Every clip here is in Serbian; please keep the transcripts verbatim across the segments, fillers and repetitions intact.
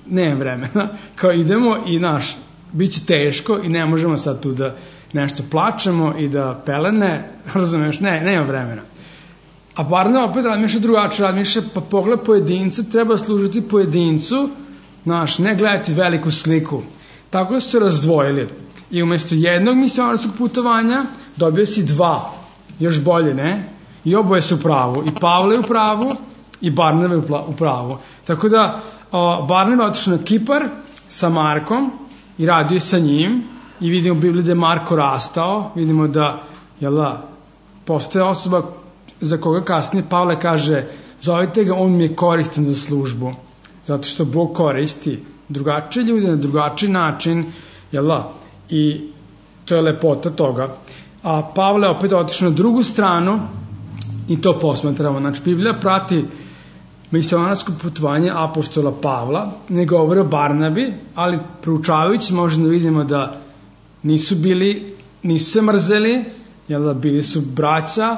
nemam vremena, kao idemo i naš, bit će teško i ne možemo sad tu da nešto plačemo i da pelene, razumeš, ne, nema vremena. A Barnaba opet razmišlja drugačije, razmišlja, pa pogled pojedinca, treba služiti pojedincu, znaš, ne gledati veliku sliku. Tako da su se razdvojili. I umjesto jednog misionarskog putovanja dobio si dva, još bolje, ne? I oboje su u pravu. I Pavle je u pravu i Barnaba je u pravu. Tako da o, Barnaba je otišao na Kipar sa Markom i radio je sa njim i vidimo u Bibliji da je Marko rastao, vidimo da, jel da, postoje osoba za koga kasnije Pavle kaže, zovite ga, on mi je koristan za službu, zato što Bog koristi drugačije ljude na drugačiji način, jel da, i to je lepota toga. A Pavle opet otišao na drugu stranu i to posmatramo. Znači, Biblija prati misionarsko putovanje apostola Pavla, ne govori o Barnabi, ali proučavajući možemo da vidimo da nisu bili, nisu se mrzeli, jel da, bili su braća,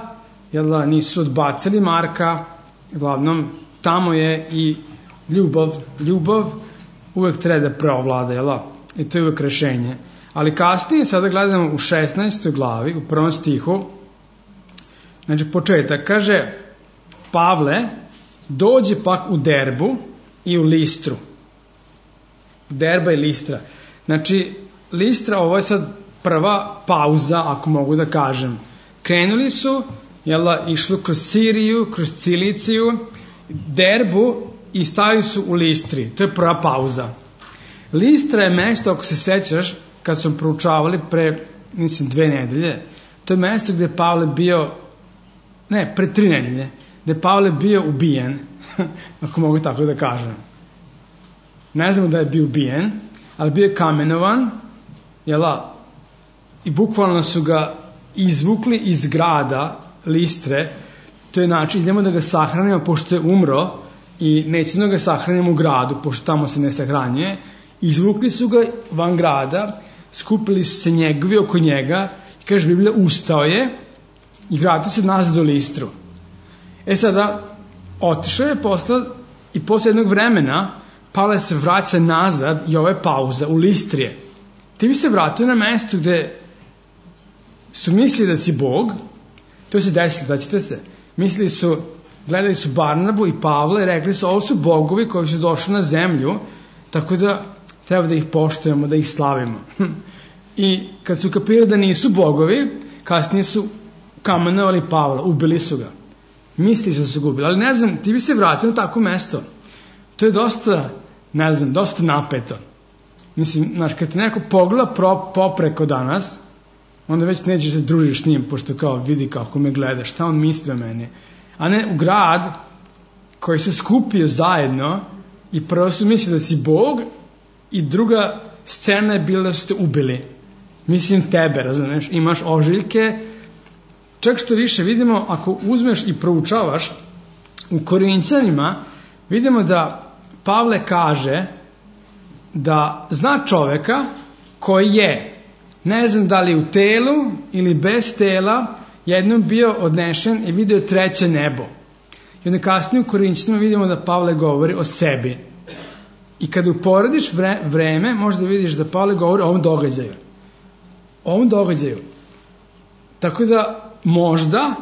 jel da, nisu odbacili Marka, uglavnom tamo je i ljubav, ljubav uvek treba da preovlada, jel da, i to je uvek rešenje. Ali kasnije, sada gledamo u šesnaestoj glavi, u prvom stihu, znači početak, kaže Pavle dođe pak u Derbu i u Listru. Derba i Listra. Znači, Listra, ovo je sad prva pauza, ako mogu da kažem. Krenuli su, jel, išli kroz Siriju, kroz Ciliciju, Derbu i stali su u Listri. To je prva pauza. Listra je mesto, ako se sećaš, kad smo proučavali pre, mislim, dve nedelje, to je mesto gde je Pavle bio, ne, pre tri nedelje, gde je Pavle bio ubijen, ako mogu tako da kažem. Ne znamo da je bio ubijen, ali bio je kamenovan, jela, i bukvalno su ga izvukli iz grada Listre, to je način, idemo da ga sahranimo pošto je umro i nećemo da ga sahranimo u gradu, pošto tamo se ne sahranjuje, izvukli su ga van grada, skupili su se njegovi oko njega i kaže Biblija, ustao je i vratio se nazad do Listru. E sada, otišao je posle i posle jednog vremena Pavle se vraća nazad i ovo je pauza u Listrije. Ti bi se vratio na mesto gde su mislili da si Bog, to se desilo, daćete se, mislili su, gledali su Barnabu i Pavle i rekli su, ovo su bogovi koji su došli na zemlju, tako da treba da ih poštujemo, da ih slavimo. I kad su kapirali da nisu bogovi, kasnije su kamenovali Pavla, ubili su ga. Misli su se gubili, ali ne znam, ti bi se vratio na tako mesto. To je dosta, ne znam, dosta napeto. Mislim, znaš, kad te neko pogleda pro, popreko danas, onda već nećeš se družiš s njim, pošto kao vidi kako me gleda, šta on misli o meni. A ne u grad koji se skupio zajedno i prvo su misli da si Bog i druga scena je bila da ste ubili. Mislim tebe, razumeš, imaš ožiljke. Čak što više vidimo, ako uzmeš i proučavaš u Korinćanima, vidimo da Pavle kaže da zna čoveka koji je, ne znam da li u telu ili bez tela, jednom bio odnešen i vidio treće nebo. I onda kasnije u Korinćanima vidimo da Pavle govori o sebi. I kada uporediš vre, vreme, možda vidiš da Pavle govori o ovom događaju. O ovom događaju. Tako da možda,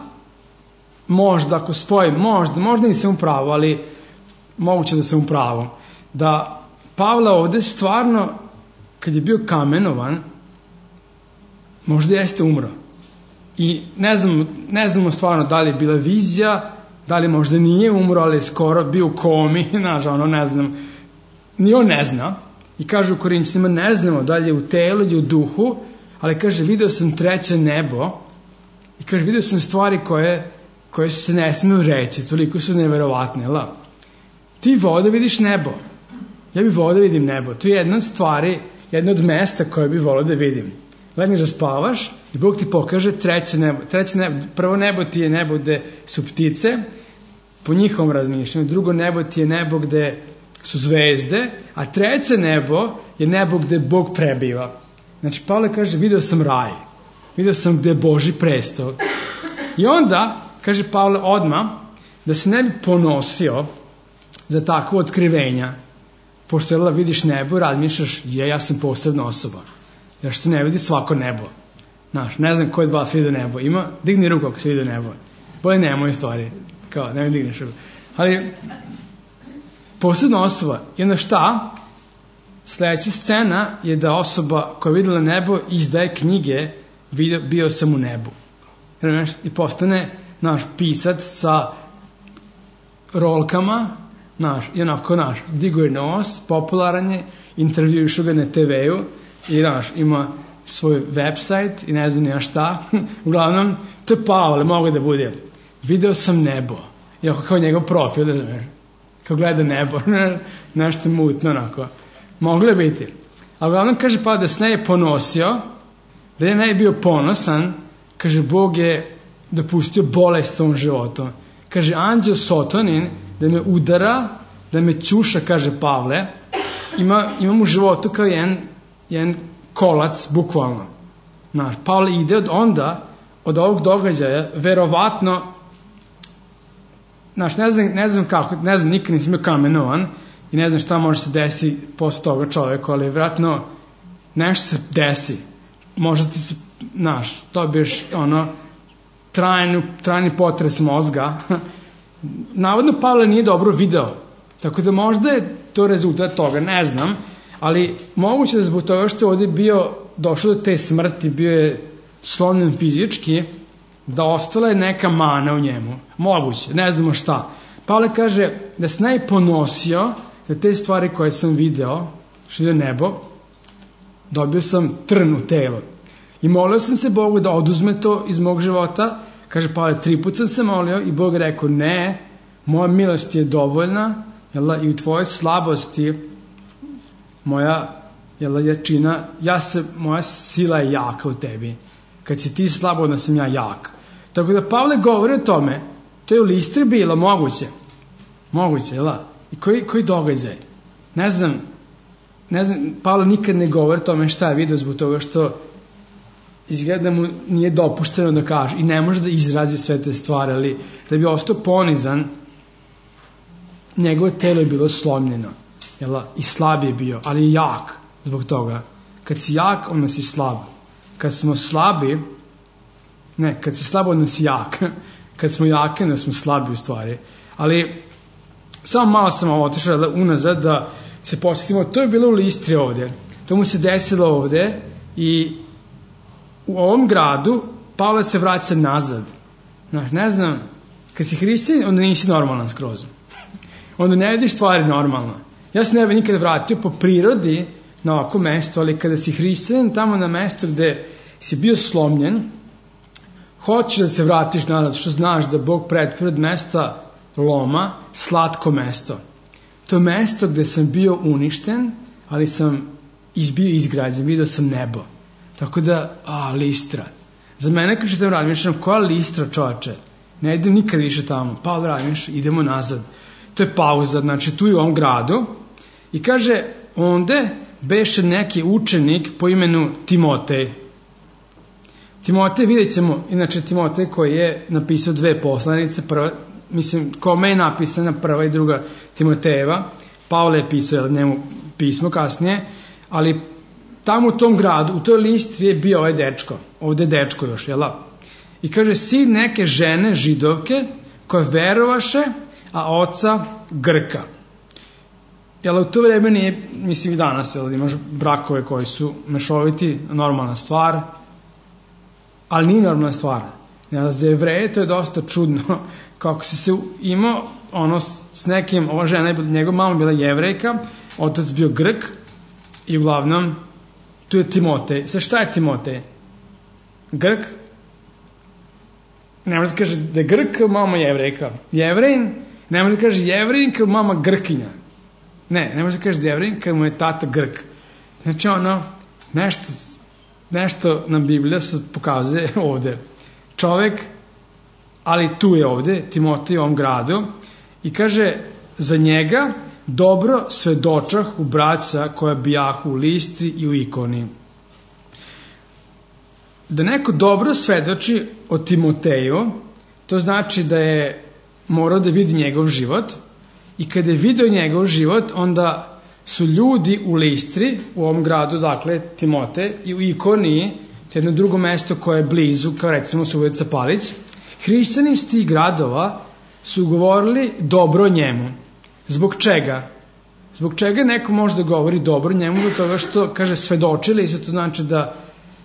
možda ako spojim, možda, možda nisam u pravu, ali moguće da sam u pravu, da Pavle ovde stvarno, kad je bio kamenovan, možda jeste umro. I ne znamo, ne znamo stvarno da li je bila vizija, da li možda nije umro, ali je skoro bio u komi, znaš, ono, ne znam, ni on ne zna. I kaže u Korinćanima, ne znamo da li je u telu ili u duhu, ali kaže, video sam treće nebo i kaže, video sam stvari koje, koje se ne smiju reći, toliko su neverovatne, la. Ti volao da vidiš nebo. Ja bih volao da vidim nebo. To je jedna od stvari, jedna od mesta koje bih volao da vidim. Legneš da spavaš i Bog ti pokaže treće nebo. Treće nebo. Prvo nebo ti je nebo gde su ptice, po njihovom razmišljanju. Drugo nebo ti je nebo gde su zvezde, a treće nebo je nebo gde Bog prebiva. Znači, Pavle kaže, video sam raj. Video sam gde je Božji presto. I onda, kaže Pavle odmah, da se ne bi ponosio za takvo otkrivenja, pošto jel, vidiš nebo, razmišljaš, je, ja sam posebna osoba. Jer što ne vidi svako nebo. Znaš, ne znam ko je od vas vidio nebo. Ima, digni ruku ako se vidio nebo. Bolje nemoj stvari. Kao, nemoj digneš ruku. Ali, posebna osoba. I onda šta? Sljedeća scena je da osoba koja je vidjela nebo izdaje knjige video, bio sam u nebu. I postane naš pisac sa rolkama, naš, i onako naš, diguje nos, popularan je, intervjušu ga na te ve-u i naš, ima svoj website i ne znam ja šta. Uglavnom, to je Pavle, mogu da bude. Video sam nebo. I ako kao njegov profil, da znaš, kao gleda nebo, nešto mutno onako. Moglo je biti. A uglavnom kaže pa da se ne je ponosio, da je ne je bio ponosan, kaže Bog je dopustio bolest svom životu. Kaže anđeo Sotonin da me udara, da me ćuša, kaže Pavle, ima, imam u životu kao jedan, jedan kolac, bukvalno. Znaš, Pavle ide od onda, od ovog događaja, verovatno, znaš, ne znam, ne znam kako, ne znam, nikad nisam bio kamenovan, i ne znam šta može se desi posle toga čoveku, ali vjerojatno nešto se desi. Možda ti se, znaš, dobiješ ono, trajnu, trajni potres mozga. Navodno Pavle nije dobro video, tako da možda je to rezultat toga, ne znam, ali moguće da zbog toga što je ovdje bio, došlo do te smrti, bio je slomljen fizički, da ostala je neka mana u njemu. Moguće, ne znamo šta. Pavle kaže da se ne ponosio da te stvari koje sam video, što je nebo, dobio sam trn u telo. I molio sam se Bogu da oduzme to iz mog života. Kaže Pavle, tri put sam se molio i Bog rekao ne, moja milost je dovoljna, jel, i u tvojoj slabosti moja jel, jačina, ja se, moja sila je jaka u tebi. Kad si ti slabo, onda sam ja jak. Tako da Pavle govori o tome, to je u Listri bilo moguće. Moguće, jel? I koji, koji događaj? Ne znam, ne znam, Pavle nikad ne govori o tome šta je vidio zbog toga što izgleda mu nije dopušteno da kaže i ne može da izrazi sve te stvari, ali da bi ostao ponizan, njegovo telo je bilo slomljeno, jel? I slab je bio, ali je jak zbog toga. Kad si jak, onda si slab. Kad smo slabi, ne, kad si slab, onda si jak. Kad smo jake, onda smo slabi u stvari. Ali samo malo sam otišao da, unazad da se podsjetimo, to je bilo u Listri ovdje. To mu se desilo ovdje i u ovom gradu Pavle se vraća nazad. Znaš, ne znam, kad si hrišćanin, onda nisi normalan skroz. Onda ne vidiš stvari normalno. Ja se ne bih nikada vratio po prirodi na ovako mesto, ali kada si hrišćanin tamo na mesto gde si bio slomljen, hoćeš da se vratiš nazad, što znaš da Bog pretvori od mesta loma slatko mesto. To je mesto gde sam bio uništen, ali sam izbio izgrađen, vidio sam nebo. Tako da, a, Listra. Za mene kad ćete razmišljam, koja Listra, čovače? Ne idem nikad više tamo. Pa razmišljam, idemo nazad. To je pauza, znači tu je u ovom gradu. I kaže, onde beše neki učenik po imenu Timotej. Timotej, vidjet ćemo, inače Timotej koji je napisao dve poslanice, prva, mislim, kome je napisana prva i druga Timotejeva, Pavle je pisao njemu pismo kasnije, ali tamo u tom gradu, u toj Listri je bio ovaj dečko, ovde je dečko još, jel? I kaže, sin neke žene židovke koje verovaše, a oca Grka. Jel, u to vreme nije, mislim i danas, jel, imaš brakove koji su mešoviti, normalna stvar, ali nije normalna stvar. Jel, za Jevreje to je dosta čudno, kako si se imao ono s nekim, ova žena, njegova mama bila Jevrejka, otac bio Grk i uglavnom tu je Timotej. Sve šta je Timotej? Grk? Ne može da kaže da je Grk, mama Jevrejka. Jevrejin? Ne može da kaže Jevrejin kao mama Grkinja. Ne, ne može da kaže da je Jevrejin kao mu je tata Grk. Znači ono, nešto, nešto nam Biblija se pokazuje ovde. Čovek, ali tu je ovde, Timotej u ovom gradu, i kaže za njega dobro svedočah u braća koja bijahu u Listri i u Ikoni. Da neko dobro svedoči o Timoteju, to znači da je morao da vidi njegov život i kada je vidio njegov život, onda su ljudi u Listri, u ovom gradu, dakle, Timote, i u Ikoniji, to je jedno drugo mesto koje je blizu, kao recimo Subotica Palić, hrišćani iz tih gradova su govorili dobro o njemu. Zbog čega? Zbog čega neko može da govori dobro o njemu? Zbog toga što, kaže, svedočili, i to znači da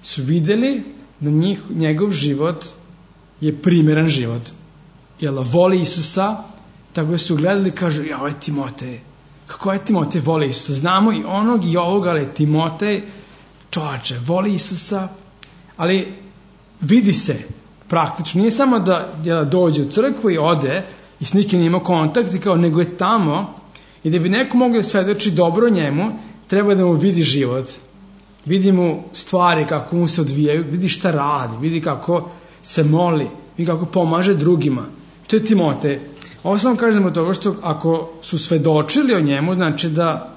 su videli da njih, njegov život je primjeran život. Jel, voli Isusa, tako da su gledali i kažu, ja, ovo je Timotej. Kako je Timotej voli Isusa? Znamo i onog i ovog, ali Timotej, čovječe, voli Isusa, ali vidi se praktično. Nije samo da, da dođe u crkvu i ode i s nikim ima kontakt, i kao, nego je tamo, i da bi neko mogao da svedoči dobro o njemu, treba da mu vidi život. Vidi mu stvari kako mu se odvijaju, vidi šta radi, vidi kako se moli, vidi kako pomaže drugima. To je Timotej. Ovo samo kažemo toga što ako su svedočili o njemu, znači da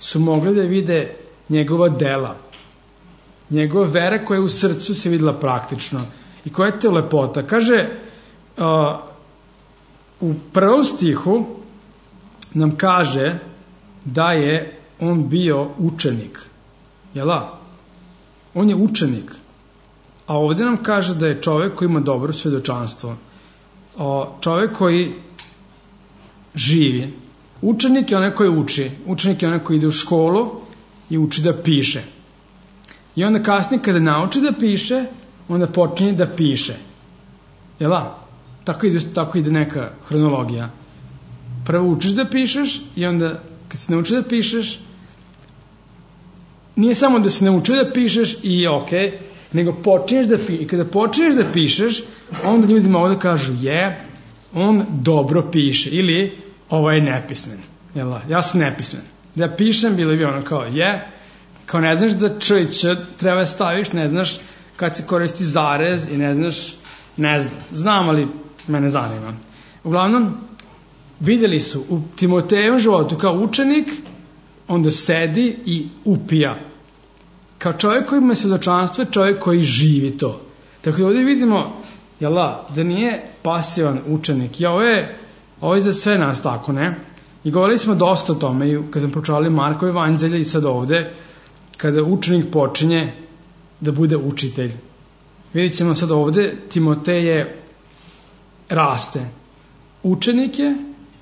su mogli da vide njegova dela. Njegova vera koja je u srcu se videla praktično. I koja je te lepota? Kaže, uh, u prvom stihu nam kaže da je on bio učenik. Jela? On je učenik. A ovdje nam kaže da je čovjek koji ima dobro svjedočanstvo. O, čovjek koji živi. Učenik je onaj koji uči. Učenik je onaj koji ide u školu i uči da piše. I onda kasnije kada nauči da piše, onda počinje da piše. Jela? Tako ide, tako ide neka hronologija. Prvo učiš da pišeš i onda kad se nauči da pišeš, nije samo da se nauči da pišeš i ok, nego počinješ da pišeš. I kada počinješ da pišeš, onda ljudima ovdje kažu, je, on dobro piše, ili ovo je nepismen. Jel, ja sam nepismen. Da ja pišem, bilo bi ono kao, je, kao ne znaš da č i č treba staviš, ne znaš kad se koristi zarez i ne znaš, ne znam, znam, ali mene zanima. Uglavnom, vidjeli su u Timotejevom životu kao učenik, onda sedi i upija. Kao čovjek koji ima svjedočanstvo, čovjek koji živi to. Tako da ovdje vidimo, jela, da nije pasivan učenik. I ovo je, ovo je za sve nas tako, ne? I govorili smo dosta o tome, i kad smo pročitali Markovo evanđelje i sad ovdje, kada učenik počinje da bude učitelj. Vidjet ćemo sad ovdje, Timotej je raste. Učenik je,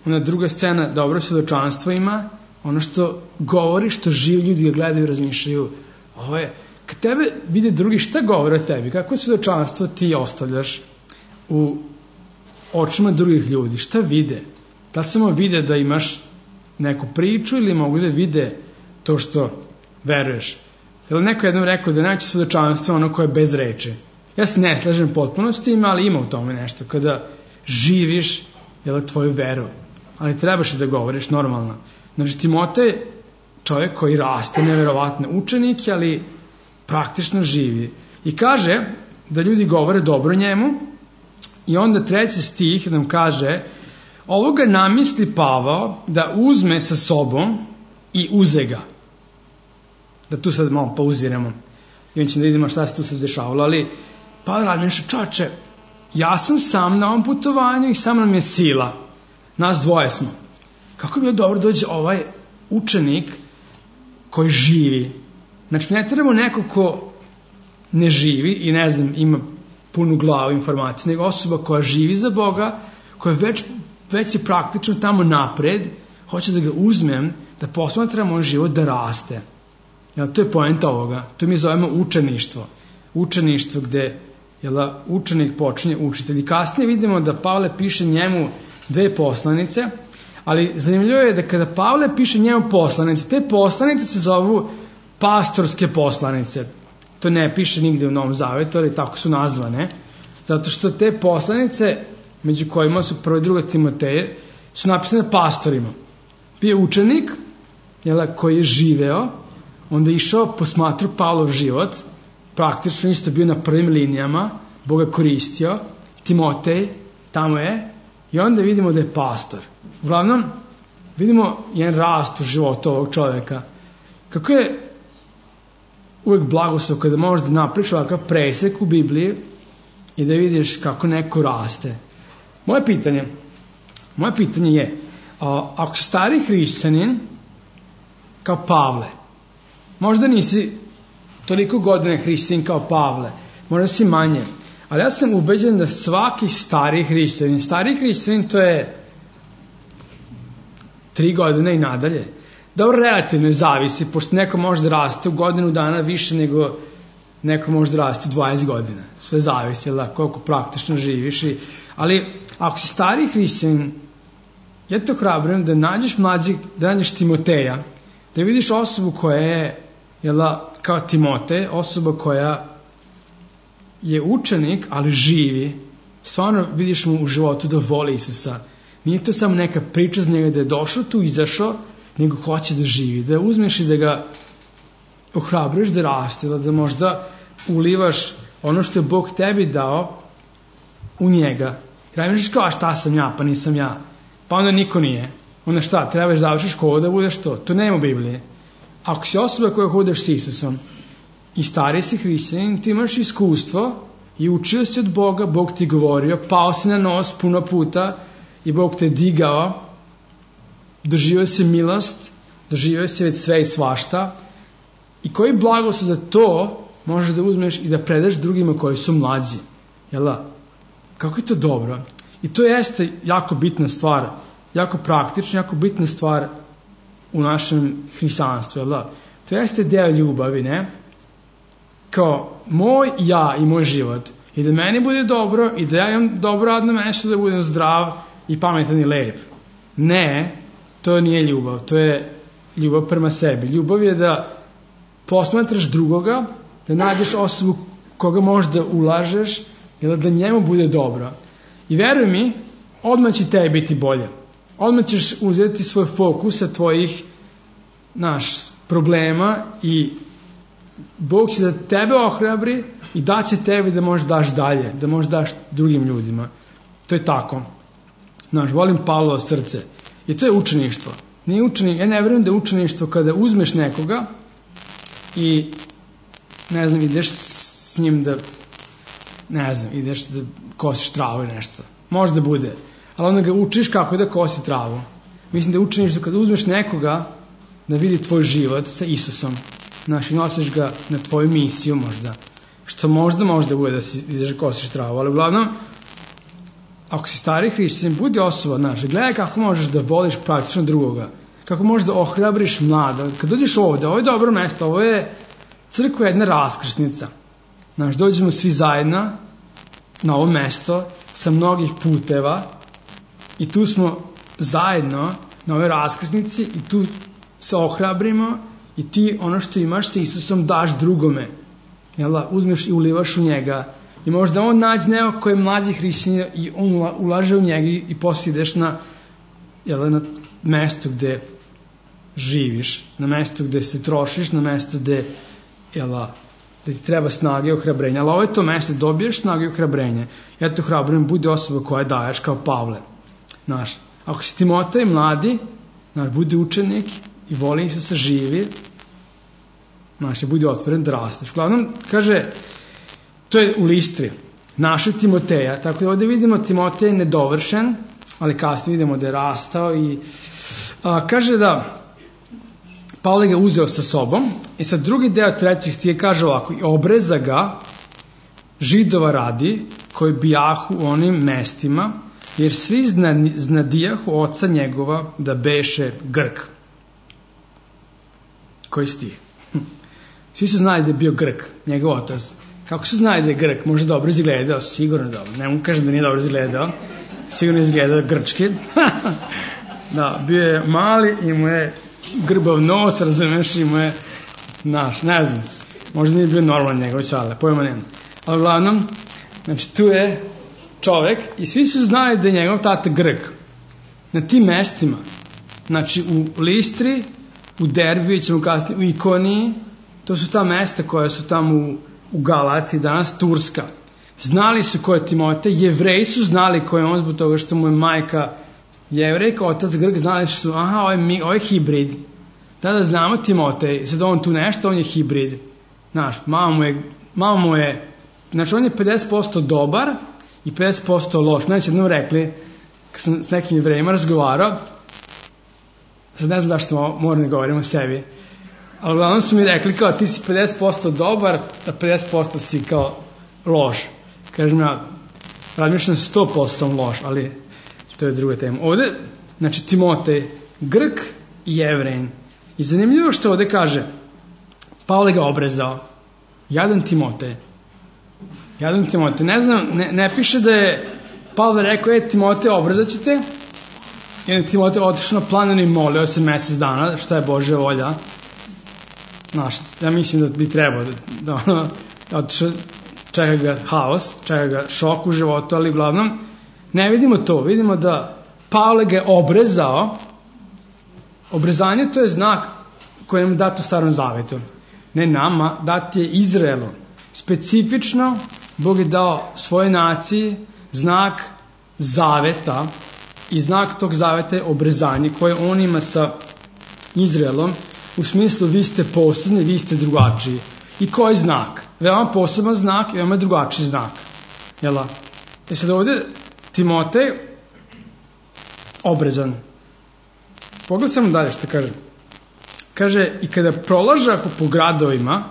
ona druga scena, dobro svjedočanstvo ima, ono što govori, što živi ljudi ga gledaju i razmišljaju, ovo je, kad tebe vide drugi, šta govore o tebi, kako svjedočanstvo ti ostavljaš u očima drugih ljudi, šta vide? Da li samo vide da imaš neku priču ili mogu da vide to što veruješ? Jer neko jednom rekao da najveće svjedočanstvo ono koje je bez reči. Ja se ne slažem potpuno s tim, ali ima u tome nešto. Kada živiš, jel, tvoju veru, ali trebaš i da govoriš normalno. Znači, Timotej, čovjek koji raste, neverovatno učenik, ali praktično živi. I kaže da ljudi govore dobro njemu, i onda treći stih nam kaže, ovoga namisli Pavao da uzme sa sobom i uze ga. Da tu sad malo pauziramo i on će da vidimo šta se tu sad dešavalo, ali Pavao radi nešto, čoče, ja sam sam na ovom putovanju i sam nam je sila. Nas dvoje smo. Kako bi bilo dobro dođe ovaj učenik koji živi? Znači, ne trebamo neko ko ne živi i ne znam, ima punu glavu informacije, nego osoba koja živi za Boga, koja već, već je praktično tamo napred, hoće da ga uzmem, da posmatramo on život da raste. Jel, to je poenta ovoga. To mi zovemo učeništvo. Učeništvo gde jel, učenik počinje učitelj. I kasnije vidimo da Pavle piše njemu dve poslanice, ali zanimljivo je da kada Pavle piše njemu poslanice, te poslanice se zovu pastorske poslanice. To ne piše nigde u Novom Zavetu, ali tako su nazvane. Zato što te poslanice, među kojima su prva i druga Timoteje, su napisane pastorima. Bio učenik, jel, koji je živeo, onda je išao, posmatrao Pavlov život, praktično isto bio na prvim linijama, Bog ga koristio, Timotej, tamo je, i onda vidimo da je pastor. Uglavnom, vidimo jedan rast u životu ovog čovjeka. Kako je uvijek blagoslov kada možeš da napriš ovakav presek u Bibliji i da vidiš kako neko raste. Moje pitanje, moje pitanje je, a, ako si stari hrišćanin kao Pavle. Možda nisi toliko godina hrišćanin kao Pavle, možda si manje, ali ja sam ubeđen da svaki stari hrišćanin, stari hrišćanin to je tri godine i nadalje. Dobro, relativno zavisi, pošto neko može da raste u godinu dana više nego neko može da raste u dvadeset godina. Sve zavisi, da, koliko praktično živiš. I, ali ako si stari hrišćanin, ja te ohrabrujem da nađeš mlađi, da nađeš Timoteja, da vidiš osobu koja je, jel da, kao Timotej, osoba koja je učenik, ali živi. Stvarno vidiš mu u životu da voli Isusa. Nije to samo neka priča z njega da je došao tu, izašao, nego hoće da živi, da uzmeš i da ga ohrabriš da raste, da možda ulivaš ono što je Bog tebi dao u njega. Kraj misliš kao, a šta sam ja, pa nisam ja. Pa onda niko nije. Onda šta, trebaš završiš školu da budeš to. To nema u Bibliji. Ako si osoba koja hodeš s Isusom i stari si hrišćanin, ti imaš iskustvo i učio si od Boga, Bog ti govorio, pao si na nos puno puta i Bog te digao, doživio si milost, doživio si već sve i svašta. I koji blagoslov za to možeš da uzmeš i da predaš drugima koji su mlađi. Jel da? Kako je to dobro? I to jeste jako bitna stvar, jako praktična, jako bitna stvar u našem hrišćanstvu. Jel da? To jeste deo ljubavi, ne? Kao moj ja i moj život. I da meni bude dobro i da ja imam dobro radno mesto, da budem zdrav i pametan i lep. Ne, to nije ljubav. To je ljubav prema sebi. Ljubav je da posmatraš drugoga, da nađeš osobu koga možda ulažeš, ili da njemu bude dobro. I veruj mi, odmah će tebi biti bolje. Odmah ćeš uzeti svoj fokus sa tvojih naš, problema i Bog će da tebe ohrabri i daće tebi da možeš daš dalje, da možeš daš drugim ljudima. To je tako. Znaš, volim Pavlovo srce. I to je učeništvo. Nije učeni, ja ne verujem da je učeništvo kada uzmeš nekoga i ne znam, ideš s njim da ne znam, ideš da kosiš travu i nešto. Možda bude. Ali onda ga učiš kako da kosi travu. Mislim da je učeništvo kada uzmeš nekoga da vidi tvoj život sa Isusom. Znaš, i nosiš ga na tvoju misiju možda. Što možda možda bude da si ideš da kosiš travu. Ali uglavnom, ako si stari hrišćanin, budi osoba, znaš, gledaj kako možeš da voliš praktično drugoga. Kako možeš da ohrabriš mlada. Kad dođeš ovde, ovo je dobro mesto, ovo je crkva, jedna raskrsnica. Znaš, dođemo svi zajedno na ovo mesto sa mnogih puteva i tu smo zajedno na ovoj raskrsnici i tu se ohrabrimo i ti ono što imaš sa Isusom daš drugome. Jel da? Uzmeš i ulivaš u njega i možda on nađe neko koji je mlađi hrišćanin i on ulaže u njega i posle ideš na, jel da, na mesto gde živiš, na mesto gde se trošiš, na mesto gde, jel da, da ti treba snage i ohrabrenja. Ali ovo je to mesto, dobiješ snage i ohrabrenje. Ja te ohrabrujem, budi osoba koja daješ kao Pavle. Znaš, ako si Timotej mladi, znaš, budi učenik i voli Isusa, živi, znaš, i budi otvoren da rasteš. Uglavnom, kaže, to je u Listri, našeg Timoteja, tako da ovdje vidimo Timotej nedovršen, ali kasnije vidimo da je rastao i a, kaže da Pavle ga uzeo sa sobom i sad drugi deo trećeg stiha kaže ovako: i obreza ga Židova radi koji bijahu u onim mestima, jer svi znadijahu oca njegova da beše Grk. Koji stih? Svi su znali da je bio Grk, njegov otac. Kako su znali da je Grk? Možda dobro izgledao, sigurno dobro. Ne mu kažem da nije dobro izgledao. Sigurno izgledao grčki. Da, bio je mali, imao je grbav nos, razumeš, imao je naš, ne znam. Možda nije bio normalan njegov čale, pojma nema. Ali uglavnom, znači tu je čovek i svi su znali da je njegov tata Grk. Na tim mestima, znači u Listri, u Derbiju, ćemo kasnije, u Ikoniji, to su ta mesta koja su tamo u, u Galaciji, danas Turska. Znali su ko je Timotej, Jevreji su znali ko je on zbog toga što mu je majka Jevrejka, otac Grk, znali su, aha, ovo je, ovo je hibrid. Da, da znamo Timotej, sad on tu nešto, on je hibrid. Znaš, mama mu je, mama mu je, znači on je pedeset posto dobar i pedeset posto loš. Meni su jednom rekli, kad sam s nekim Jevrejima razgovarao, sad ne znam da što moram da govorim o sebi, ali uglavnom su mi rekli kao ti si pedeset posto dobar, a pedeset posto si kao loš. Kažem ja, razmišljam sto posto sam loš, ali to je druga tema. Ovde, znači Timotej, Grk i Jevrein. I zanimljivo što ovde kaže, Pavle ga obrezao. Jadan Timotej. Jadan Timotej. Ne znam, ne, ne piše da je Pavle rekao, e Timotej, obrezat ću te. I onda Timotej otišao na planinu i molio se mesec dana, šta je Božja volja. Znaš, ja mislim da bi trebao da, da ono, otišao, čeka ga haos, čeka ga šok u životu, ali uglavnom ne vidimo to. Vidimo da Pavle ga je obrezao. Obrezanje to je znak koji nam je dat u Starom Zavetu. Ne nama, dat je Izraelu. Specifično Bog je dao svojoj naciji znak zaveta i znak tog zaveta je obrezanje koje on ima sa Izraelom u smislu vi ste posebni, vi ste drugačiji. I koji znak? Veoma poseban znak i veoma drugačiji znak. Jela? E sad ovdje Timotej obrezan. Pogledaj samo dalje što kaže. Kaže, i kada prolaže ako po gradovima,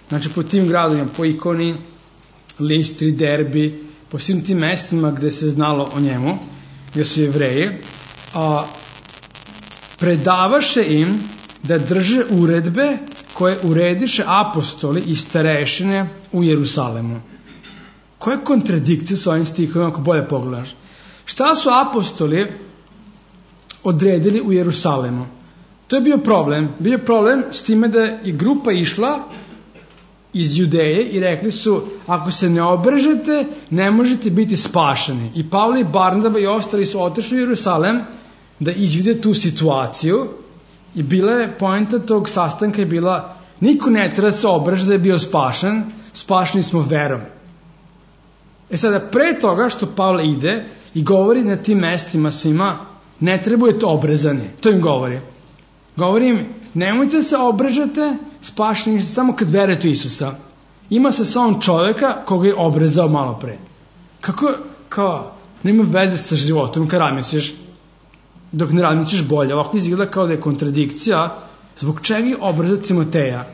znači po tim gradovima, po Ikoni, Listri, Derbi, po svim tim mestima gde se znalo o njemu, gde su Jevreji, a predavaše im da drže uredbe koje urediše apostoli i starešine u Jerusalemu. Koje kontradikcije su ovim stihovima ako bolje pogledaš? Šta su apostoli odredili u Jerusalemu? To je bio problem. Bio je problem s time da je grupa išla iz Judeje i rekli su, ako se ne obrežete, ne možete biti spašeni. I Pavle i Barnaba i ostali su otišli u Jerusalem da izvide tu situaciju i bila je poenta tog sastanka je bila, niko ne treba se obrežiti da je bio spašen, spašeni smo verom. E sada, pre toga što Pavle ide i govori na tim mestima svima, ne trebujete obrezani. To im govori. Govori im, nemojte se obrežate, spašeni ste samo kad verujete u Isusa. Ima se samo čoveka koga je obrezao malo pre. Kako, kao, nema veze sa životom kad razmisliš, dok ne razmisliš bolje. Ovako izgleda kao da je kontradikcija, zbog čega je obrezao Timoteja.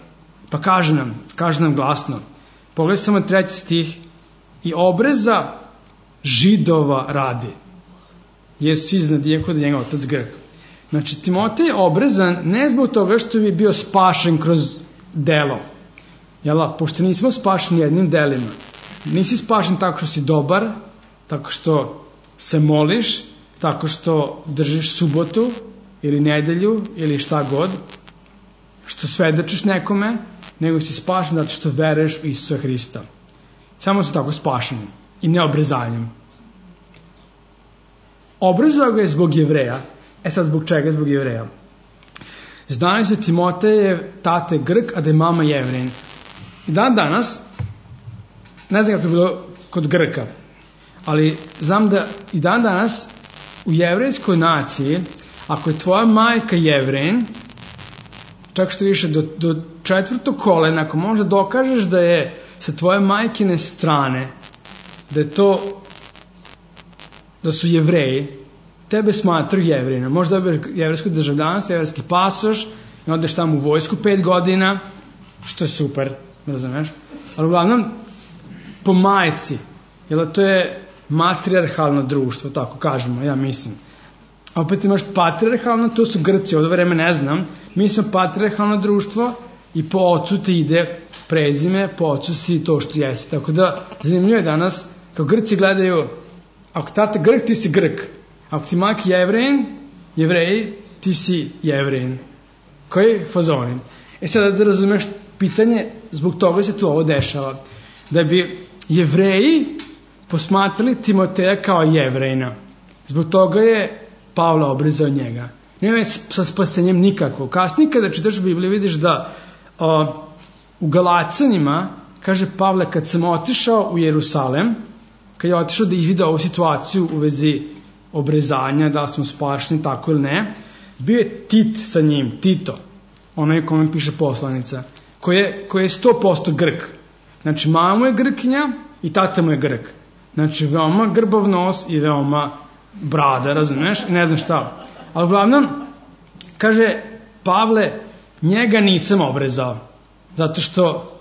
Pa kaže nam, kaže nam glasno, pogledaj samo treći stih, i obreza Židova radi, jer svi znadije kod njega otac Grk. Znači, Timotej je obrezan ne zbog toga što bi bio spašen kroz delo. Jela, pošto nismo spašeni jednim delima. Nisi spašen tako što si dobar, tako što se moliš, tako što držiš subotu ili nedelju ili šta god, što svedočiš nekome, nego si spašen zato što veruješ u Isusa Hrista. Samo su tako spašeni i ne obrezanjem. Obrezao ga je zbog Jevreja. E sad, zbog čega? Zbog Jevreja. Znali se Timotej je tate Grk, a da je mama Jevrein. I dan danas, ne znam kako je bilo kod Grka, ali znam da i dan danas u jevrejskoj naciji, ako je tvoja majka Jevrein, čak što više do, do četvrtog kolena, ako možda dokažeš da je sa tvoje majkine strane, da je to, da su Jevreji, tebe smatruju Jevrejina. Možda dobiješ jevrejsko državljanstvo, jevrejski pasoš i odeš tamo u vojsku pet godina, što je super, razumeš? Ali uglavnom, po majci, jer to je matrijarhalno društvo, tako kažemo, ja mislim. A opet imaš patrijarhalno, to su Grci, od vreme ne znam, mi smo patrijarhalno društvo i po ocu ti ide prezime, po ocu si to što jesi. Tako da, zanimljivo je danas, kao Grci gledaju, ako tata Grk, ti si Grk. Ako ti majka Jevrejin, Jevreji, ti si Jevrejin. Koji fazonin? E sada da razumeš pitanje, zbog toga se tu ovo dešava. Da bi Jevreji posmatrali Timoteja kao Jevrejina. Zbog toga je Pavle obrezao njega. Nema sa spasenjem nikako. Kasnije kada čitaš Bibliju vidiš da o, u Galacanima, kaže Pavle, kad sam otišao u Jerusalem, kad je otišao da izvida ovu situaciju u vezi obrezanja, da smo spašeni, tako ili ne, bio je Tit sa njim, Tito, onaj kome piše poslanica, koji je, koji je sto posto Grk. Znači, mama mu je Grkinja i tata mu je Grk. Znači, veoma grbav nos i veoma brada, razumeš? Ne znam šta. Ali uglavnom, kaže Pavle, njega nisam obrezao, zato što,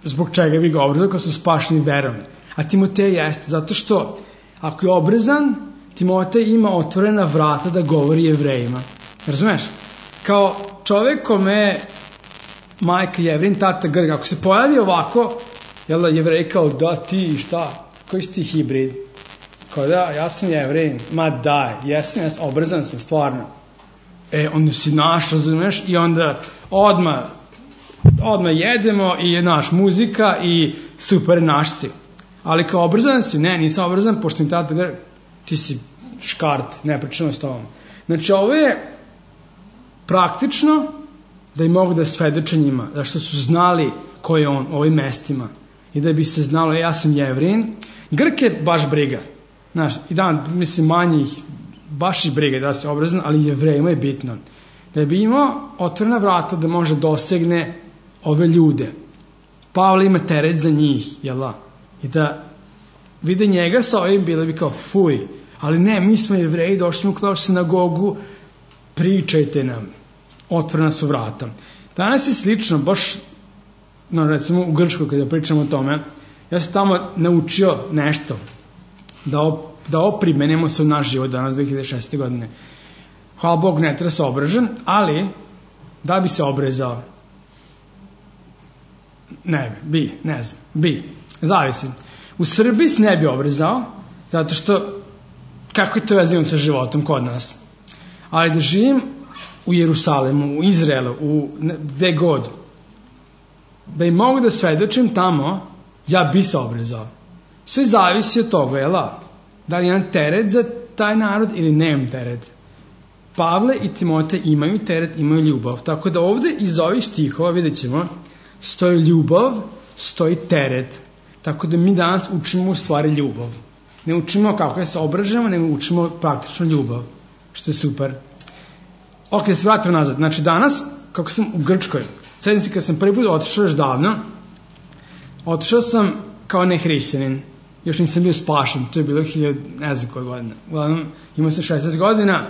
zbog čega bi ga obrezao, kao su spašeni verom. A Timotej jeste, zato što ako je obrezan, Timotej ima otvorena vrata da govori Jevrejima. Razumeš? Kao čovek kome majka Jevrin, tata Grk, ako se pojavi ovako, jel da Jevrej kao da ti šta, koji si ti hibrid? Kao da, ja sam Jevrin, ma daj, jesam, jesam, obrezan sam, stvarno. E, onda si naš, razumeš, i onda odmah, odmah jedemo i naš muzika i super, naš si. Ali kao obrzan si, ne, nisam obrzan, pošto mi tata Grk, ti si škart, ne pričamo s tobom. Znači, ovo je praktično da i mogu da svedoče njima, zašto su znali ko je on u ovim mestima i da bi se znalo, ja sam Jevrin. Grk je baš briga, znaš, i dan, mislim, manjih, baš i briga da se obrazan, ali Jevrejima je bitno. Da bi imao otvorena vrata da može dosegne ove ljude. Pavle ima teret za njih, jel da? I da vide njega sa ovim, bilo bi kao fuj, ali ne, mi smo Jevreji, došli smo kao sinagogu, pričajte nam, otvorena su vrata. Danas je slično, baš, no, recimo u Grčkoj kada pričamo o tome, ja sam tamo naučio nešto, da ovo, da ovo primenimo se u naš život danas dve hiljade šeste. godine. Hvala Bog, ne treba se obražen, ali da bi se obrezao, ne bi, ne znam, bi, zavisi. U Srbiji se ne bi obrezao, zato što, kako je to vezano sa životom kod nas? Ali da živim u Jerusalemu, u Izraelu, u gde god, da im mogu da svedočim tamo, ja bi se obrezao. Sve zavisi od toga, jel da? Da li imam teret za taj narod ili nemam teret. Pavle i Timotej imaju teret, imaju ljubav. Tako da ovde iz ovih stihova, vidjet ćemo, stoji ljubav, stoji teret. Tako da mi danas učimo u stvari ljubav. Ne učimo kako da se obražemo, nego učimo praktično ljubav. Što je super. Ok, da se vratim nazad. Znači danas, kako sam u Grčkoj, srednici kad sam prvi put otišao još davno, otišao sam kao nehrišćanin. Još nisam bio spašen, to je bilo hiljadu, ne znam koje godine. Uglavnom, imao sam šesnaest godina,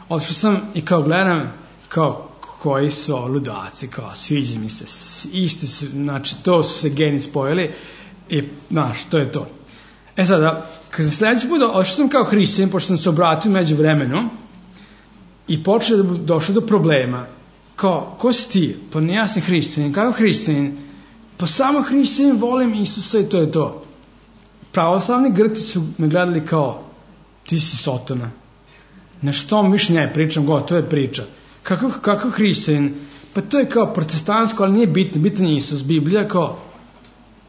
otišao sam i kao gledam, kao koji su ludaci, kao sviđa mi se, isti su, znači to su se geni spojili i, znaš, to je to. E sada, kad sam sljedeći put otišao sam kao hrišćanin, pošto sam se obratio među vremenu, i počeo da došao do problema. Kao, ko si ti? Pa ne, ja sam hrišćanin. Kako hrišćanin? Pa samo hrišćanin, volim Isusa i to je to. Pravoslavni Grci su me gledali kao, ti si sotona. Na što mi više ne pričam, gotovo je priča. Kako, kako hrišćanin? Pa to je kao protestantsko, ali nije bitno, bitan je Isus. Biblija kao,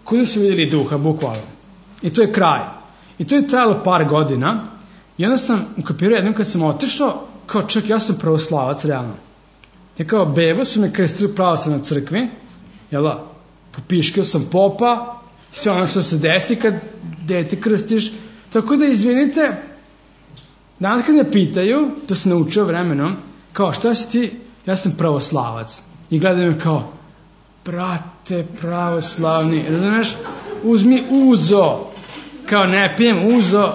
kuda su vidjeli duha, bukvalno. I to je kraj. I to je trajalo par godina. I onda sam ukapirao jednom kad sam otišao, kao čak ja sam pravoslavac, realno. Ja kao bebo su me krstili pravoslavnoj crkvi, jel da? Popiškio sam popa, sve ono što se desi kad dete krstiš. Tako da, izvinite, danas kad me pitaju, to sam naučio vremenom, kao šta si ti? Ja sam pravoslavac. I gledaju me kao, brate, pravoslavni, razumiješ? Uzmi uzo. Kao ne pijem uzo,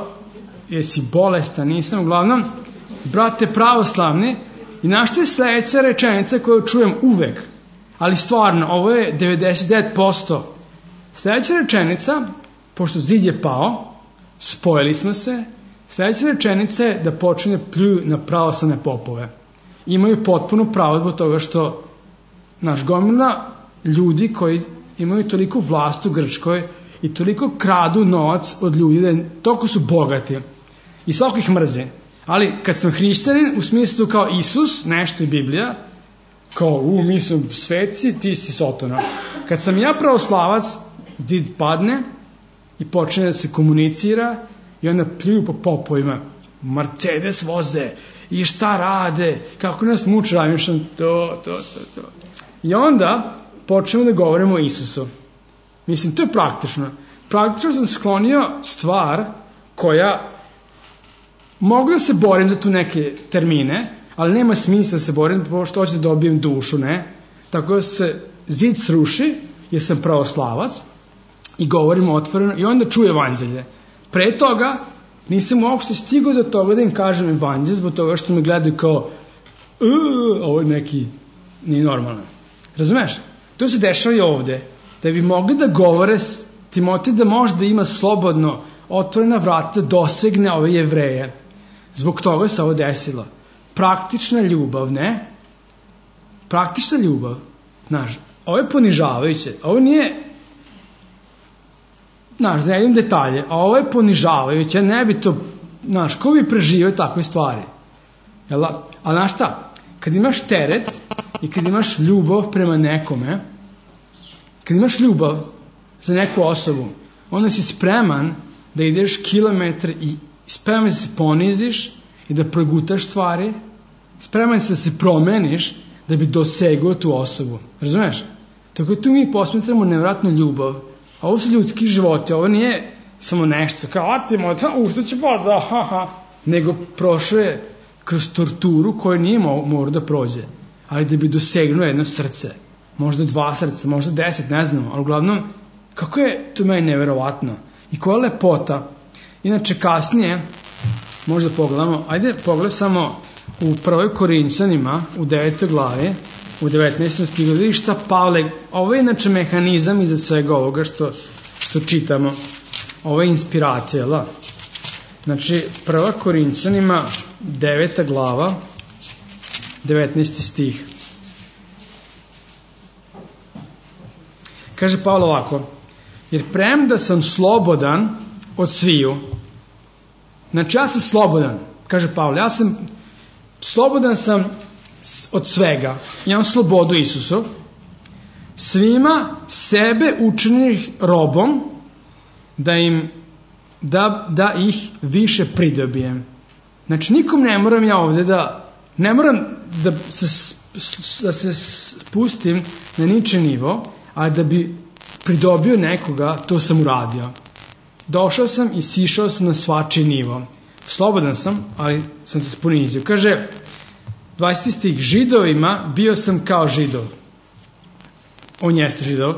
jesi bolestan, nisam, uglavnom, brate pravoslavni, i našta je sledeća rečenica koju čujem uvek, ali stvarno, ovo je devedeset devet posto. Sledeća rečenica, pošto zid je pao, spojili smo se, sledeća rečenica je da počne pljuju na pravoslavne popove. Imaju potpuno pravo zbog toga što naš gomila ljudi koji imaju toliko vlast u Grčkoj i toliko kradu novac od ljudi, da toliko su bogati i svako ih mrze. Ali kad sam hrišćanin, u smislu kao Isus, nešto je Biblija, kao u, mi smo sveci, ti si sotona. Kad sam ja pravoslavac, did padne i počne da se komunicira i onda pljuju po popovima, Mercedes voze i šta rade, kako nas muče, ramišljam, to, to, to, to. I onda počnemo da govorimo o Isusu. Mislim, to je praktično. Praktično sam sklonio stvar koja mogu da se borim za tu neke termine, ali nema smisla da se borim, pošto hoću da dobijem dušu, ne? Tako da se zid sruši, jer sam pravoslavac, i govorimo otvoreno, i onda čuje evanđelje. Pre toga nisam uopšte stigao do toga da im kažem evanđelje, zbog toga što me gledaju kao, ovo je neki, nije normalno. Razumeš? To se dešava i ovde. Da bi mogli da govore Timotej da možda ima slobodno otvorena vrata da dosegne ove Jevreje. Zbog toga se ovo desilo. Praktična ljubav, ne? Praktična ljubav. Znaš, ovo je ponižavajuće. Ovo nije, znaš, da ne idem detalje, a ovo je ponižavajuće. Ne bi to, znaš, ko bi preživio takve stvari? Jel? A znaš šta? Kad imaš teret i kad imaš ljubav prema nekome, kad imaš ljubav za neku osobu, onda si spreman da ideš kilometar i spreman da se poniziš i da progutaš stvari, spreman si da se promeniš da bi dosegao tu osobu. Razumeš? Tako tu mi posmetramo nevratnu ljubav. A ovo su ljudski životi, ovo nije samo nešto kao, a ti moj, u što će pa da, ha, ha, nego prošao je kroz torturu koju nije morao da prođe, ali da bi dosegnuo jedno srce, možda dva srca, možda deset, ne znamo, ali uglavnom, kako je to meni neverovatno i koja lepota. Inače kasnije, možda pogledamo, ajde pogledaj samo u prvoj Korinćanima, u devetoj glavi, u devetnaestom stihu, vidiš šta Pavle, ovo je inače mehanizam iza svega ovoga što, što čitamo, ovo je inspiracija, la? Znači, prva Korinćanima, deveta glava, devetnaesti stih. Kaže Pavle ovako, jer premda sam slobodan od sviju, znači ja sam slobodan, kaže Pavle, ja sam slobodan sam od svega, imam slobodu Isusov, svima sebe učinih robom, da im da, da ih više pridobijem. Znači nikom ne moram ja ovde da ne moram da se, da se spustim na niče nivo, a da bi pridobio nekoga, to sam uradio. Došao sam i sišao sam na svačiji nivo. Slobodan sam, ali sam se ponizio. Kaže dvadeseti stih, Židovima bio sam kao Židov. On jeste Židov,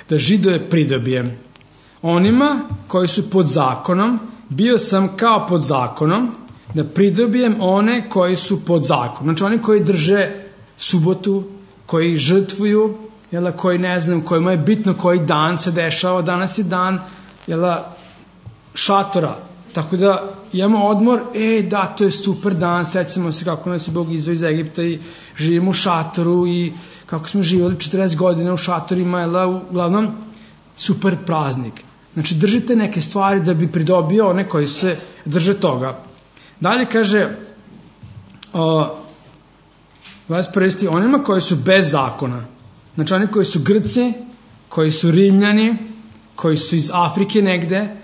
da Židove pridobijem. Onima koji su pod zakonom, bio sam kao pod zakonom, da pridobijem one koji su pod zakonom. Znači oni koji drže subotu, koji žrtvuju, jela, koji ne znam, kojima je bitno koji dan se dešava, danas je dan jela, šatora. Tako da imamo odmor, e da, to je super dan, sećamo se kako nas je Bog izveo iz Egipta i živimo u šatoru i kako smo živjeli četrdeset godina u šatorima, jela, uglavnom super praznik. Znači držite neke stvari da bi pridobio one koji se drže toga. Dalje kaže o, dvadeset prvi stih, onima koji su bez zakona, znači oni koji su Grci, koji su Rimljani, koji su iz Afrike negde,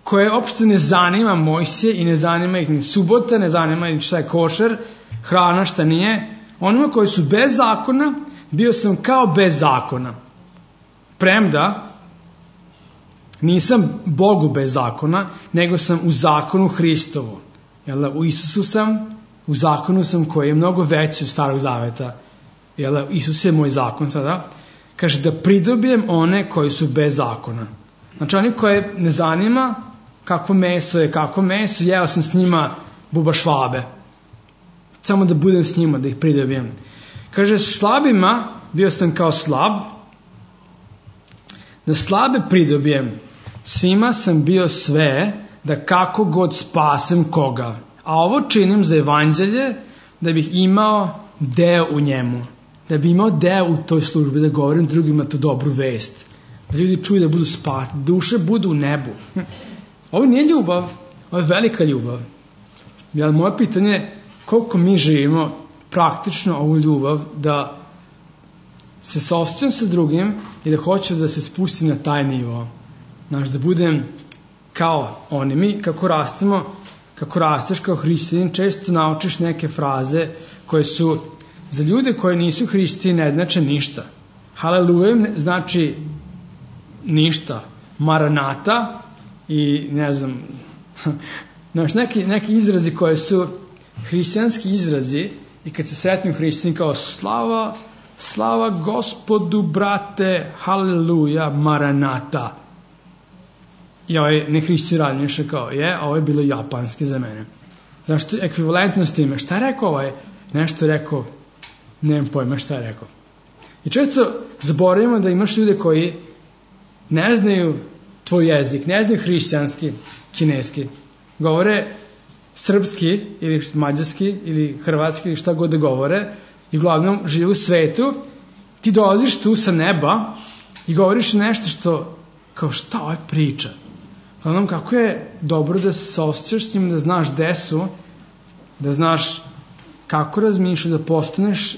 koje opšte ne zanima Mojsije i ne zanima ih ni subota, ne zanima ih šta je košer, hrana, šta nije. Onima koji su bez zakona, bio sam kao bez zakona. Premda nisam Bogu bez zakona, nego sam u zakonu Hristovu. Jel, u Isusu sam, u zakonu sam koji je mnogo veći od Starog Zaveta. Jel, Isus je moj zakon sada. Kaže da pridobijem one koji su bez zakona. Znači oni koje ne zanima kako meso je, kako meso, jeo sam s njima buba švabe. Samo da budem s njima, da ih pridobijem. Kaže slabima bio sam kao slab, da slabe pridobijem. Svima sam bio sve, da kako god spasem koga. A ovo činim za evanđelje, da bih imao deo u njemu. Da bih imao deo u toj službi, da govorim drugima tu dobru vest. Da ljudi čuju da budu spati, duše budu u nebu. Ovo nije ljubav, ovo je velika ljubav. Jel, moje pitanje je koliko mi živimo praktično ovu ljubav, da se saosjećam sa drugim i da hoću da se spustim na taj nivo. Znaš, da budem kao oni. Mi kako rastemo, kako rasteš kao hristijanin, često naučiš neke fraze koje su za ljude koji nisu hrišćani ne znače ništa. Haleluja znači ništa. Maranata i ne znam, znaš, neki, neki izrazi koje su hrišćanski izrazi i kad se sretnu hrišćani kao slava, slava Gospodu, brate, haleluja, maranata. I ovaj nehrišćani radi nešto kao, je, ovo je bilo japanski za mene. Znaš, što je ekvivalentno s time. Šta je rekao ovaj? Nešto je rekao, nemam pojma šta je rekao. I često zaboravimo da imaš ljude koji ne znaju tvoj jezik, ne znaju hrišćanski, kineski, govore srpski ili mađarski ili hrvatski ili šta god da govore i uglavnom žive u svetu. Ti dolaziš tu sa neba i govoriš nešto što, kao šta ovaj priča. Uglavnom, kako je dobro da se osjećaš s njim, da znaš gde su, da znaš kako razmišljaš, da postaneš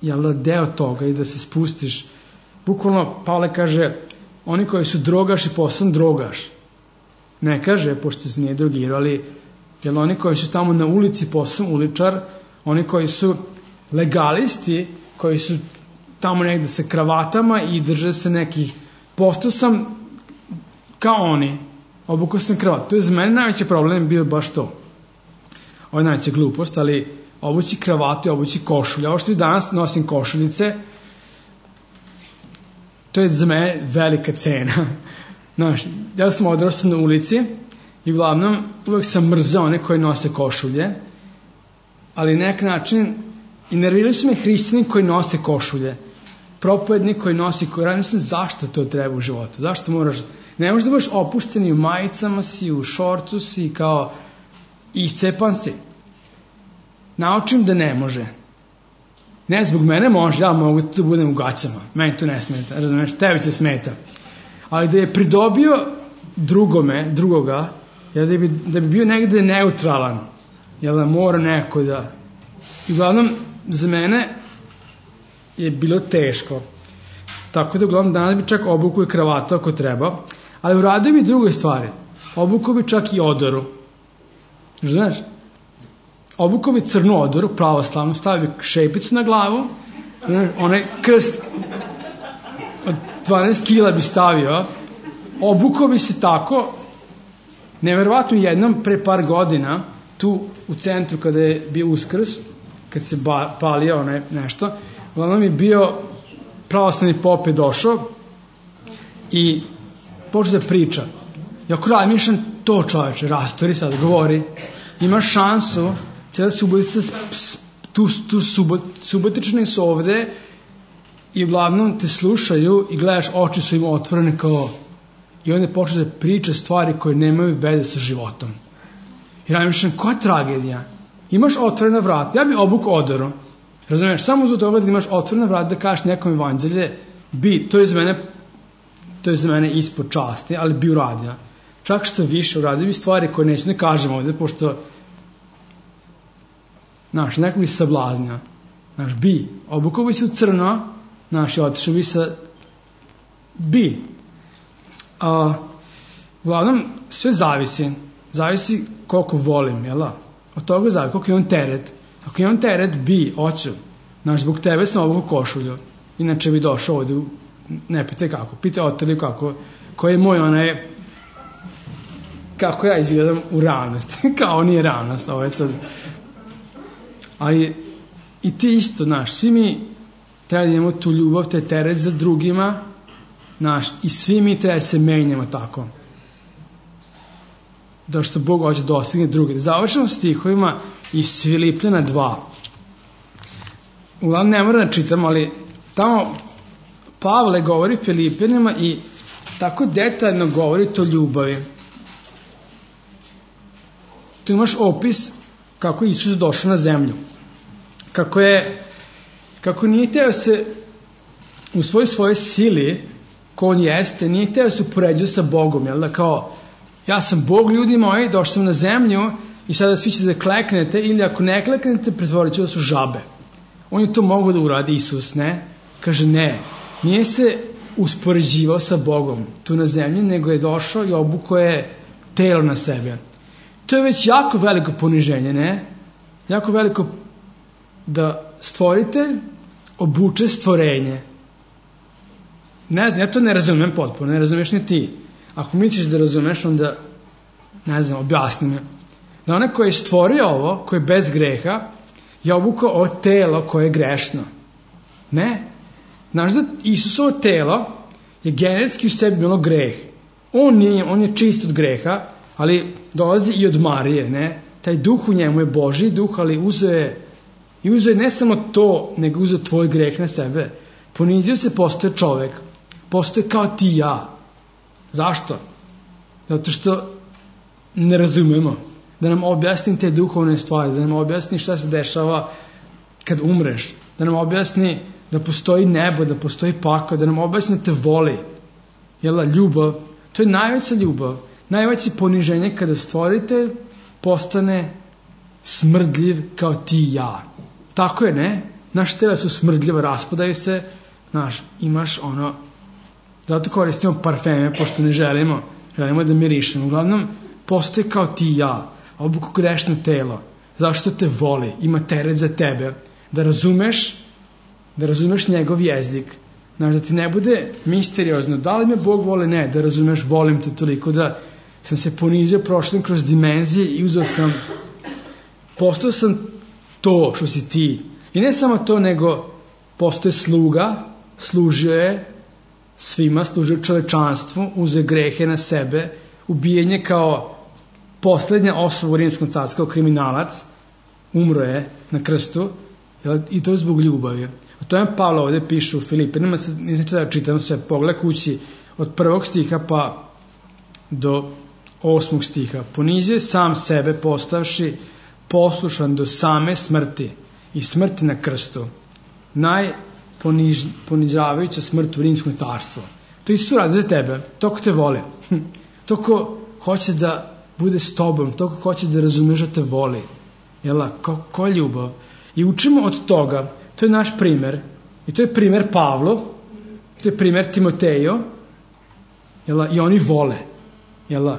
jel da, deo toga i da se spustiš. Bukvalno, Pavle kaže, oni koji su drogaš i postan drogaš. Ne kaže, pošto se nije drogirao, ali jel oni koji su tamo na ulici postan uličar, oni koji su legalisti, koji su tamo negde sa kravatama i drže se nekih, postao sam kao oni, obukao sam kravat. To je za mene najveći problem bio baš to. Ovo je najveća glupost, ali obući kravatu i obući košulje. Ovo što i danas nosim košuljice, to je za mene velika cena. Znaš, ja sam odrastao na ulici i uglavnom uvek sam mrzao one koji nose košulje, ali na nek način i nervirali su me hrišćani koji nose košulje, propovednik koji nosi koji radi. Mislim, zašto to treba u životu? Zašto moraš, ne možeš da budeš opušten i u majicama si, u šorcu si, kao iscepan si. Naučim da ne može. Ne, zbog mene može, ja mogu da budem u gaćama. Meni to ne smeta, razumiješ, tebi će smeta. Ali da je pridobio drugome, drugoga, da bi, da bi bio negde neutralan, jel da mora neko da... I uglavnom, za mene je bilo teško. Tako da uglavnom danas bi čak obukao i kravatu ako treba, ali uradio bi druge stvari. Obukao bi čak i odoru. Znaš? Obukao bi crnu odoru, pravoslavnu, stavio bi šepicu na glavu, onaj krst od dvanaest kila bi stavio, obukao bi se tako, neverovatno jednom pre par godina, tu u centru kada je bio Uskrs, kad se ba, palio onaj nešto, uglavnom je bio pravoslavni pop je došao i počeo da priča. I ako razmišljam, to čoveče, rastori sad, govori, imaš šansu, cijela subotica, tu, tu subot, subotični su ovde i uglavnom te slušaju i gledaš, oči su im otvorene kao, i onda počeo da priča stvari koje nemaju veze sa životom. I razmišljam, koja tragedija? Imaš otvorena vrata, ja bi obukao odoru, razumiješ, samo zbog toga da imaš otvorena vrata da kažeš nekom evanđelje, bi, to je za mene, to je za mene ispod časti, ali bi uradio. Čak što više uradio bi stvari koje neću ne kažem ovde, pošto, znaš, neko bi se sablaznio, znaš, bi, obukao bi se u crno, znaš, i otišao bi sa, bi. A, uglavnom, sve zavisi, zavisi koliko volim, jel da? Od toga zavisi, koliko je on teret. Ako je on teret, bi, oću. Znaš, zbog tebe sam obukao košulju. Inače bi došao ovde, ne pitaj kako, pitaj Oteliju kako, koji je moj onaj, kako ja izgledam u realnosti. Kao nije realnost, ovo je sad. Ali i ti isto, znaš, svi mi treba da imamo tu ljubav, te teret za drugima, znaš, i svi mi treba da se menjamo tako. Da što Bog hoće da dostigne druge. Da završamo stihovima iz Filipljana dva. Uglavnom ne moram da čitam, ali tamo Pavle govori Filipljanima i tako detaljno govori to ljubavi. Tu imaš opis kako je Isus došao na zemlju. Kako je, kako nije teo se u svoj svojoj sili, ko on jeste, nije teo se upoređuje sa Bogom, jel da, kao, ja sam Bog, ljudi moji, došao sam na zemlju i sada svi ćete da kleknete, ili ako ne kleknete, pretvorit ću da su žabe. On je to mogao da uradi, Isus, ne? Kaže, ne, nije se uspoređivao sa Bogom tu na zemlji, nego je došao i obukao je telo na sebe. To je već jako veliko poniženje, ne? Jako veliko da stvoritelj obuče stvorenje. Ne znam, ja to ne razumem potpuno, ne razumeš ni ti. Ako misliš da razumeš, onda, ne znam, objasni me. Da onaj koji je stvorio ovo, koji je bez greha, je obukao ovo telo koje je grešno. Ne. Znaš da Isusovo telo je genetski u sebi bilo greh. On, nije, on je čist od greha, ali dolazi i od Marije, ne? Taj duh u njemu je Božji duh, ali uzeo je, i uzeo je ne samo to, nego uzeo tvoj greh na sebe. Ponizio se, postoje čovek, postoje kao ti i ja. Zašto? Zato što ne razumemo. Da nam objasni te duhovne stvari, da nam objasni šta se dešava kad umreš, da nam objasni da postoji nebo, da postoji pakao, da nam objasni da te voli. Jel, ljubav, to je najveća ljubav, najveće poniženje kada stvoritelj postane smrdljiv kao ti i ja. Tako je, ne? Naše tela su smrdljiva, raspadaju se, znaš, imaš ono, zato koristimo parfeme, pošto ne želimo, želimo da mirišemo. Uglavnom, postoji kao ti i ja, obuku grešno telo, zašto te voli, ima teret za tebe, da razumeš, da razumeš njegov jezik, znaš, da ti ne bude misteriozno, da li me Bog voli, ne, da razumeš, volim te toliko, da sam se ponizio, prošao kroz dimenzije i uzeo sam, postao sam to što si ti. I ne samo to, nego postoje sluga, služio je svima, služio čovečanstvu, uzeo grehe na sebe, ubijenje kao poslednja osoba u Rimskom carstvu, kao kriminalac, umro je na krstu, i to je zbog ljubavi. O tome Pavle ovde piše u Filipinima, ne znači da čitam sve, pogled kući od prvog stiha pa do osmog stiha. Ponizio sam sebe postavši poslušan do same smrti i smrti na krstu. Najponižavajuća smrt u Rimskom carstvu. To Isus radi za tebe, toko te voli, toko hoće da bude s tobom, toko hoće da razumeš da te voli. Jel, ko, ko je ljubav? I učimo od toga, to je naš primer, i to je primer Pavlo, to je primer Timotejo, jel, i oni vole, jel,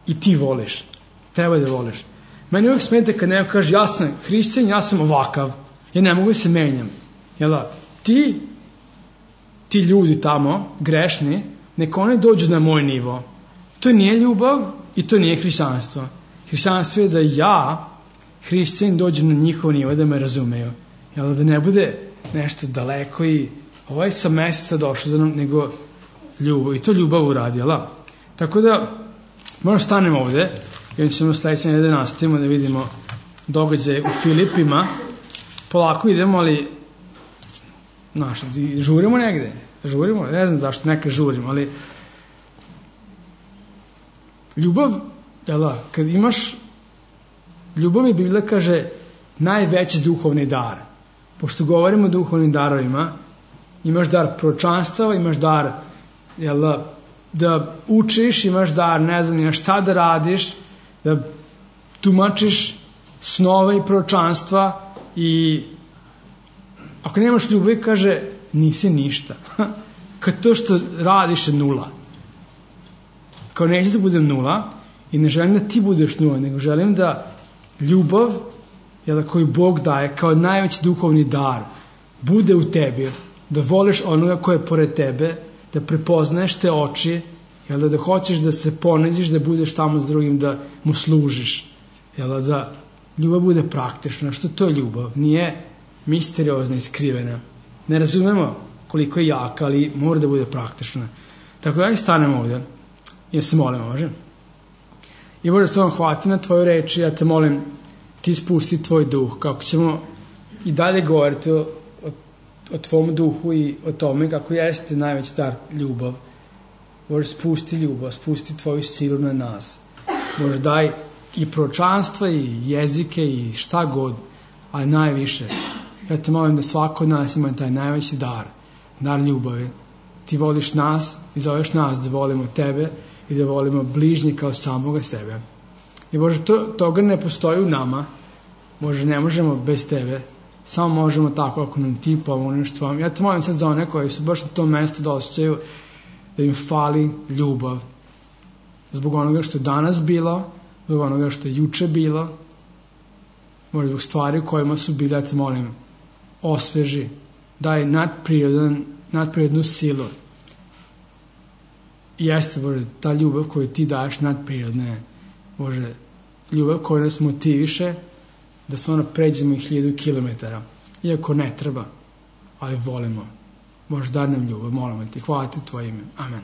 i ti voliš, treba da voliš. Meni uvijek smeta kad neko kaže, ja sam hrišćanin, ja sam ovakav, ja ne mogu da se menjam, jel, ti, ti ljudi tamo, grešni, neka oni dođu na moj nivo. To nije ljubav i to nije hrišćanstvo. Hrišćanstvo je da ja, hrišćanin, dođem na njihov nivo, da me razumeju. Jel, da ne bude nešto daleko i ovaj sa meseca došao za nam, nego ljubav. I to ljubav uradi, jel? Tako da, možemo stanemo ovde, i onda ćemo sledeće nedelje nastavimo da vidimo događaje u Filipima. Polako idemo, ali znaš, žurimo negde. Žurimo, ne znam zašto neka žurimo, ali ljubav, jel, kad imaš ljubav je, Biblija kaže, najveći duhovni dar. Pošto govorimo o duhovnim darovima, imaš dar proročanstva, imaš dar, jel, da učiš, imaš dar, ne znam, imaš šta da radiš, da tumačiš snove i proročanstva, i ako nemaš ljubavi, kaže, nisi ništa. Kad to što radiš je nula. Kao neće da budem nula i ne želim da ti budeš nula, nego želim da ljubav, jel, koju Bog daje kao najveći duhovni dar, bude u tebi, da voliš onoga ko je pored tebe, da prepoznaješ te oči, jel, da, da hoćeš da se ponediš, da budeš tamo s drugim, da mu služiš, jel, da ljubav bude praktična. Što to je ljubav? Nije misteriozna i skrivena. Ne razumemo koliko je jaka, ali mora da bude praktična. Tako da i stanemo ovdje. Ja se molim, može? I Bože, se vam hvatim na tvoju reči, ja te molim, ti spusti tvoj duh, kako ćemo i dalje govoriti o, o, o tvom duhu i o tome kako jeste najveći dar ljubav. Bože, spusti ljubav, spusti tvoju silu na nas. Bože, daj i proročanstva i jezike i šta god, ali najviše. Ja te molim da svako od nas ima taj najveći dar, dar ljubavi. Ti voliš nas i zoveš nas da volimo tebe i da volimo bližnje kao samoga sebe. I Bože, to, toga ne postoji u nama. Bože, ne možemo bez tebe. Samo možemo tako ako nam ti pomogneš tvom. Ja te molim sad za one koji su baš na tom mjestu da osjećaju da im fali ljubav. Zbog onoga što je danas bilo, zbog onoga što je juče bilo, možda zbog stvari u kojima su bili, ja te molim, osveži, daj nadprirodan, nadprirodnu silu. I jeste, Bože, ta ljubav koju ti daješ nadprirodna je, Bože, ljubav koja nas motiviše da stvarno pređemo i hiljadu kilometara, iako ne treba, ali volimo. Bože, daj nam ljubav, molimo ti, hvala ti u tvoje ime. Amen.